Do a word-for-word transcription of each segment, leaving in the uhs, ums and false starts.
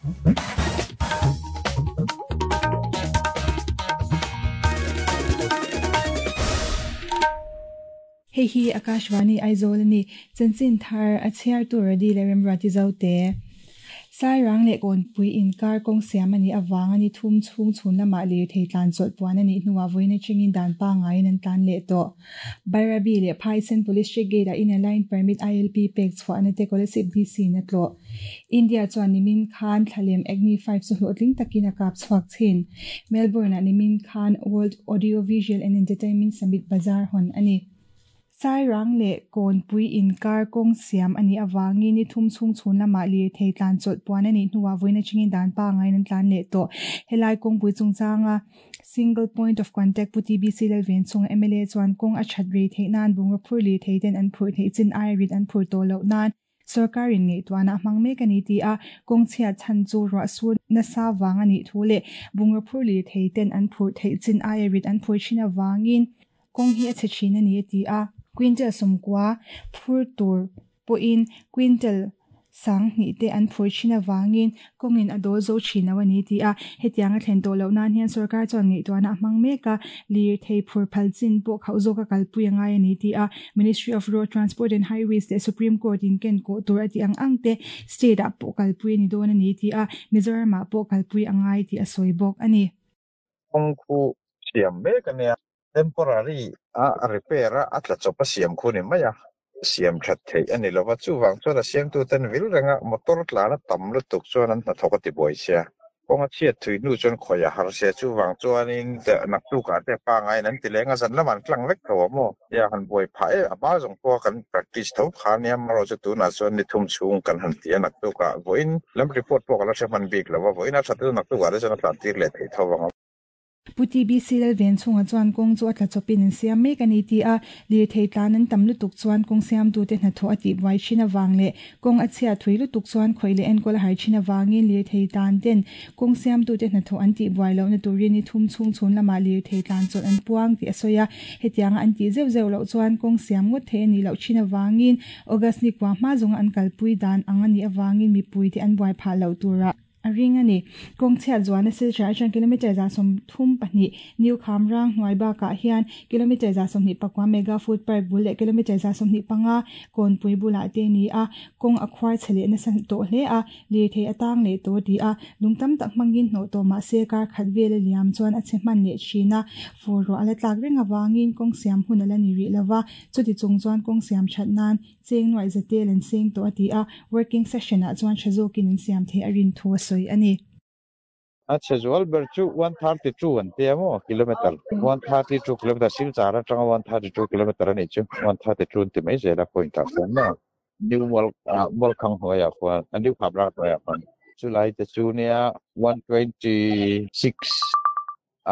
Hei hi Akashvani Aizawl ani chanchin thar a chhiar tur a dil a remruati zo te. Sairang leh Kawnpui inkar kawng siam ani awang ani thum chhung chhun lamah lirthei tlan chawlh puan anih hnuah vawiin atangin dan pangaiin an tlan leh tawh. Bairabi leh Phaisen Police Check Gate ah Inner Line Permit I L P pek chhuah na te Kolasib D C in a tlawh. India chuan nimin khan thlalem Agni five chu hlawhtling takin a kap chhuak thin. Melbourne ah nimin khan World Audio Visual and Entertainment Summit Bazaar hawn ani. Sairang leh Kawnpui inkar kawng siam anih awangin ni thum chhung chhun lamah lirthei tlan chawlh puan anih hnuah vawiin atangin dan pangaiin an tlan leh tawh. Helai kawngpui chungchanga single point of contact pu T B C Lalven chunga M L A chuan kawng a that rei theih nan bungraw phur lirthei ten an phur theih chin ai rit an phur tawh loh nan sarkarin ngaihtuahna a hmang mek ani ti a kawng chhiat chhan chu ruah sur nasa wang anih thu leh bungraw phur lirthei ten an phur theih chin ai rit an phur thin awangin kawng hi a chhe thin ani a ti a. Quintal sawmkua phur tur pawhin quintal sang hnih te an phur thin awangin kawngin a dawl zo thin lo ani ti a hetiang a thlen tawh loh nan hian sarkar chuan ngaihtuahna a hmang mek a lirthei phur phal chin pawh khauh zawk a kalpui angai ani ti a Ministry of Road Transport and Highways leh Supreme Court in ken kawh tur a ti ang ang te state ah pawh kalpui ani dawn ani ti a Mizoram ah pawh kalpui angai tih a sawi bawk ani. Kawng khu siam mek ania temporary a repair a a tla chawp a siam khu ni mai a siam that thei ani lova chuwang chuan a siam tu ten vil renga motor tlan a tam lutuk chuan an hnathawk a ti buai sia kawnga chhiat thui hnu chuan khawi a har sia chuwang chuanin nak tukah te pangai an ti lenga zan laman tlang vek tho maw ya han buai phah e a hma zawng pawh kan practice tho kha nia maro chu tunah chuan ni thum chhung kan han ti a nak tukah vawiin lam report pawh ka la hre hman bik lova vawiin a that chu nak tukah te chuan a tlan tir leh thei tho ang. Pu T B C Lalven chunga chuan kawng chu a tla chawpin an siam mek ani ti a lirthei tlan an tam lutuk chuan kawng siam tu te hnathawh a tih buai thin awang leh kawng a chhiat thui lutuk chuan khawi leh enkawl a har thin awangin lirthei tlan ten kawng siam tu te hnathawh an tih buai lohna turin ni thum chhung chhun lamah lirthei tlan chawlh an puang tih a sawi a hetianga an tih zeuh zeuh loh chuan kawng siam ngawt thei ani loh thin awangin August ni kwa hma zawnga an kalpui dan ang ani awangin mipui te an buai phah loh tura a ring ani kawng chhiat zuan a silchar atang kilometer za sawm thum pahnih new khamrang hnuai bakah hian kilometer za sawmhnih pakua mega food park bul leh kilometer za sawmhnih panga kawnpui bulah te ni a kawng a khuar chhe leh nasa tawh hle a lirthei atang leh tawh ti a lung tam tak hmangin hnawh tawh mahse kar khat vel a liam chuan a chhe hman leh thin a fur ruah a la tlak reng awangin kawng siam hun a la ni rih lova chuti chung chuan kawng siam that nan cheng nuai zatel an seng tawh a ti a working session ah chuan tha zawkin an siam thei a rin thu a sawi ani. A chhe ber chu one thirty two an te emaw kilometer one thirty two kilometer silchar atanga one thirty two kilometer ani chu one thirty two ti mai zela point ah khuan maw new mall mall khang hnuaiah khuan a new khamrang hnuaiah khuan chu lai te chu nia one twenty six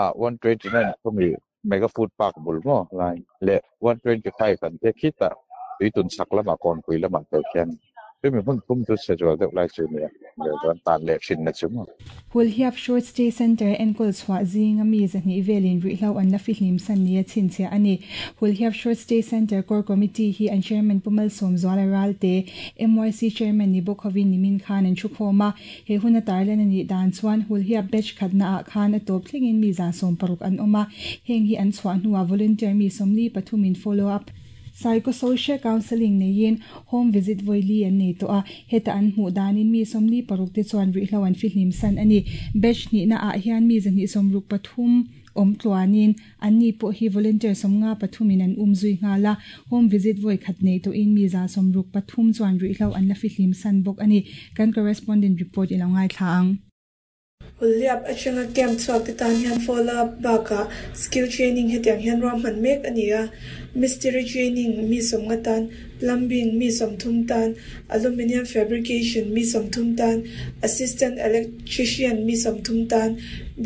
ah one twenty nine khawmi mega food park bul maw lai leh one twenty five an te khitah tuitun sak lamah kawnpui lamah te khian tui mi hmun thum chu chhe zual deuh lai chu nia leh chuan tan leh hrin na chu maw. Hulhiap Short Stay Center enkawl chhuah zinga mi zahnih velin rihlo an la fihlim san nia chhinchhiah ani. Hulhiap Short Stay Center Core Committee hi an chairman Pumal Sawmzuala Ralte M Y C chairman ni bawk hovin nimin khan an thu khawm a he hun a tarlan ani dan chuan Hulhiap batch khatna ah khan a tawp thlengin mi za sawm paruk an awm a heng hi an chhuah hnuah volunteer mi sawmli pathumin follow up psychosocial counseling neiin home visit voili an nei to a heta an hmuh danin mi sawmli paruk te chuan rihlo an fihlim san ani batch hnih na ah hian mi zahnih sawmruk pathum awm tluanin an ni pawh hi volunteer sawmnga pathumin an um zui nghala home visit voi khat nei to in mi za sawmruk pathum chuan rihlo an la fihlim san bawk ani kan correspondent report ilo ngai thla ang. Hulhiap atanga camp chhuak te tan hian follow up bakah skill training hetiang hian ruahman mek ani a mystery training mi sawmnga tan plumbing mi sawmthum tan aluminium fabrication mi sawmthum tan assistant electrician mi sawmthum tan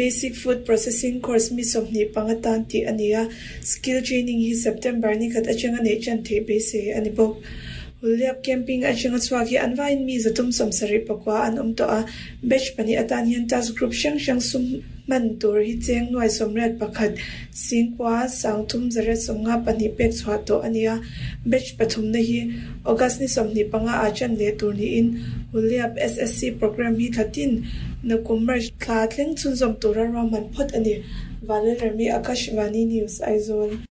basic food processing course mi sawmhnih panga tan tih ani a skill training hi September ni khat atanga nei chan thei beisei ani bawk. Hulhliap camping atanga chhuak hi an vaiin mi zathum sawmsarih pakua an awm tawh a, batch pahnih atan hian task group hrang hrang sum hman tur hi cheng nuai sawmriat pakhat singkua sangthum zariat sawmnga pahnih pek chhuah tawh a ni a. Batch pathumna hi August ni sawmhnih panga ah ṭan leh tur niin Hulhliap S S C program hi thlatin nakum March thla thleng chhunzawm tura ruahman phawt a ni. Vanlalremi Akashvani News, Aizawl.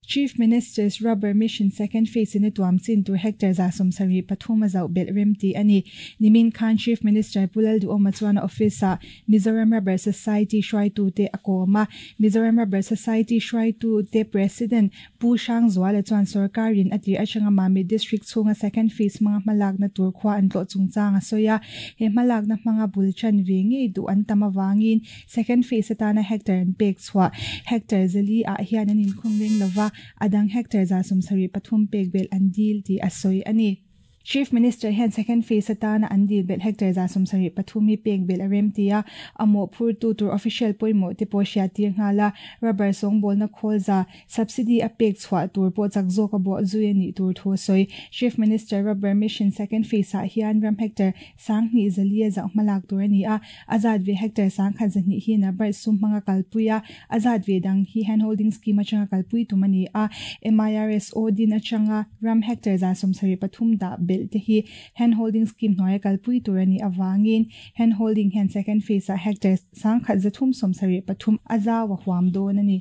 Chief Minister's Rubber Mission Second Phase in a tuam chin tur hectare za sawmsarih pathum a zauh belh rem tih a ni. Nimin khan Chief Minister Pu Lalduhoma chuan a office ah Mizoram Rubber Society hruaitu te a kawm a. Mizoram Rubber Society hruaitu te President Pu Hrangzuala chuan sarkarin a tir atanga Mamit District chhunga Second Phase hmanga hmalakna tur khua an tlawh chungchang a sawi a. He hmalakna hmanga bul chan ve ngei duh an tam avangin Second Phase atana hectare an pek chhuah hectare zali ah hian an inkhung reng lova adang hectare za sawmsarih pathum pek bel an dil tih a sawi a ni. Chief Minister hian second phase atana an dil belh hectare za sawmsarih pathum hi pek belh a rem ti a, a mawh phurtu tur official pawimawh te pawh hriat tir nghal a, rubber sawngbawlna khawl za subsidy a pek chhuah tur pawh chak zawk a bawh zui a nih tur thu a sawi. Chief Minister Rubber Mission second phase ah hian ram hectare sanghnih zali a zauh hmalak tur a ni a, a zat ve hectare sangkhat zahnih hi NABARD sum hmanga kalpui a, a zat ve dang hi hand holding scheme atanga kalpui tum a ni a, M I R S O din atanga ram hectare za sawmsarih pathum dah belh te hi hand holding scheme hnuaia kalpui tur a ni awangin hand holding hian second phase ah hectare sangkhat zathum sawmsarih pathum a zau a huam dawn a ni.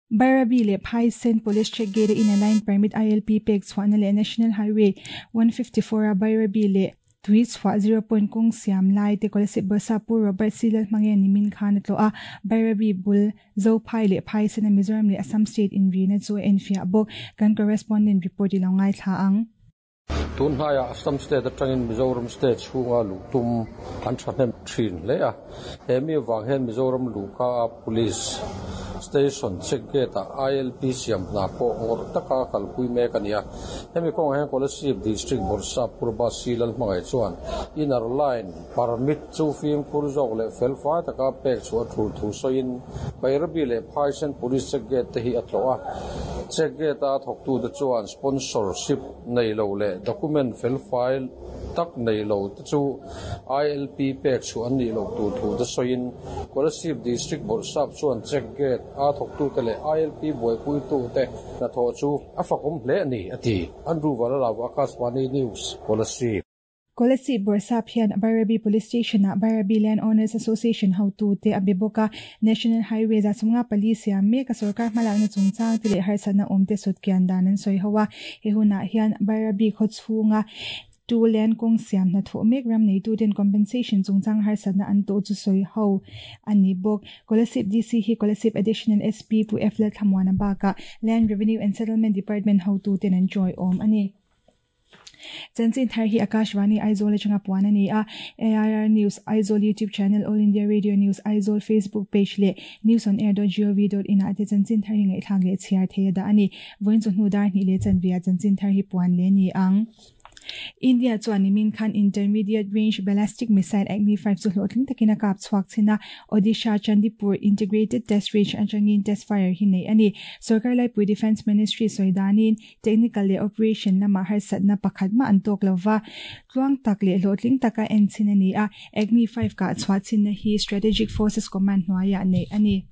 Bairabi le Phaisen Police Check Gate inner line permit I L P pek chhuahna leh National Highway one fifty-four a Bairabi le tui chhuah zero point kawng siam lai te Kolasib Bawrhsap Pu Robert C. Lalhmange nimin khan a tlawh a, Bairabi bul Zophai leh Phaisen a Mizoram leh Assam State inrina chu a enfiah bawk. Kan correspondent report i lo ngai thla ang. Tun hnaia Assam State atangin Mizoram State chhunga luhtum an thahnem thin hle a, he mi awang hian Mizoram luhka a police station check gate a I L P siam hna pawh ngawrh taka kalpui mek a ni a. Hemi kawngah hian Kolasib District Bawrhsap Purba C. Lalhmangaih chuan inner line permit chu fimkhur zawk leh fel fai taka pek chu a thul thu sawiin Bairabi leh Phaisen Police check gate te hi a tlawh a. Check gate a thawktu te chuan sponsorship nei lo leh document fel file tak nei lo te chu I L P pek chu an nih loh tur thu te sawiin Kolasib District Bawrhsap chuan check gate a thawktu te leh I L P buaipuitu te hnathawh chu a fakawm hle a ni a ti. Andrew Valalaw, Akashvani News, Kolasib. Kolasib Bawrhsap hian Bairabi Police Station ah Bairabi Land Owners Association hotu te a be bawk a, National Highway za sawmnga pali siam mek a sarkar hmalakna chungchang te leh harsatna awm te sawtkian dan an sawi ho a. He hunah hian Bairabi khaw chhunga two land kawng siam hnathawh mek ram neitu ten compensation chungchang harsatna an tawh chu sawi ho a ni bawk. Kolasib D C hi Kolasib Additional S P Pu F Lalthlamuana bakah Land Revenue and Settlement Department hotu ten an joy awm a ni. Chanchin thar hi Akashvani Aizawl atanga puan a ni a, A I R News Aizawl YouTube channel, All India Radio News Aizawl Facebook page leh news on air dot gov dot in ah te chanchin thar hi ngaihthlak leh chhiar thei a dah a ni. Vawiin chu hnu dar hnih leh chanvia chanchin thar hi puan le ni ang. India chuan nimin khan Intermediate Range Ballistic Missile Agni five chu hlawhtling takin a kap chhuak chhin a, Odisha Chandipur Integrated Test Range atangin test fire hi nei a ni. Sarkar Laipui Defence Ministry sawidanin technical leh operation lama harsatna pakhat ma an tawk lova tluang tak leh hlawhtling taka en chin a ni a, Agni five ka chhuah chinna hi Strategic Forces Command hnuaiah nei a ni.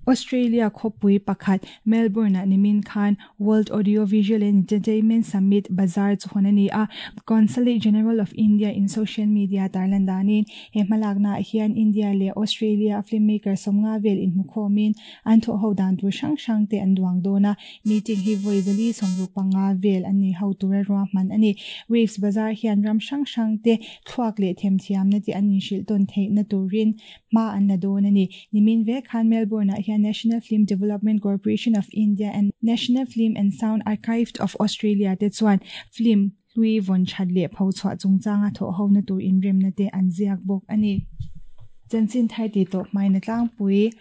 Australia khawpui pakhat Melbourne ah nimin khan World Audiovisual and Entertainment Summit Bazaar chu hawn a ni a, Consulate General of India in social media tarlan danin he hmalakna hian India leh Australia filmmaker sawmnga vel inhmukhawmin an thawh ho dan tur hrang hrang te an duang dawn a, meeting hi vawi zali sawmruk panga vel an nei ho tura ruahman a ni. Waves Bazaar hian ram hrang hrang te thluak leh themthiamna te an inhrilh tawn theihna turin hma an la dawn a ni. Nimin vek khan Melbourne ah hian National Film Development Corporation of India and National Film and Sound Archive of Australia te chuan film hlui vawn that leh pho chhuah chungchanga thawh ho na tur inremna te an ziak bawk a ni. Chanchin thar ti tawp hmain a tlangpui.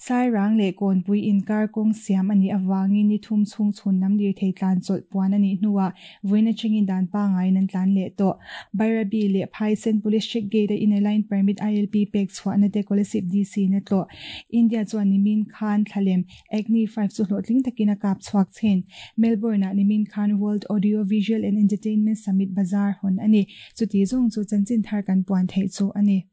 Sairang leh Kawnpui inkar kawng siam a nih avangin ni thum chhung chhun lam lirthei tlan chawlh puan a nih hnuah vawiin atangin dan pangaiin an tlan leh tawh. Bairabi leh Phaisen Police Check Gate a Inner Line Permit I L P pek chhuahna te Kolasib D C in a tlawh. India chuan nimin khan thlalem Agni five chu hlawhtling takin a kap chhuak chin. Melbourne ah nimin khan World Audio Visual and Entertainment Summit Bazaar hawn a ni. Chuti zawng chu chanchin thar kan puan theih chu a ni.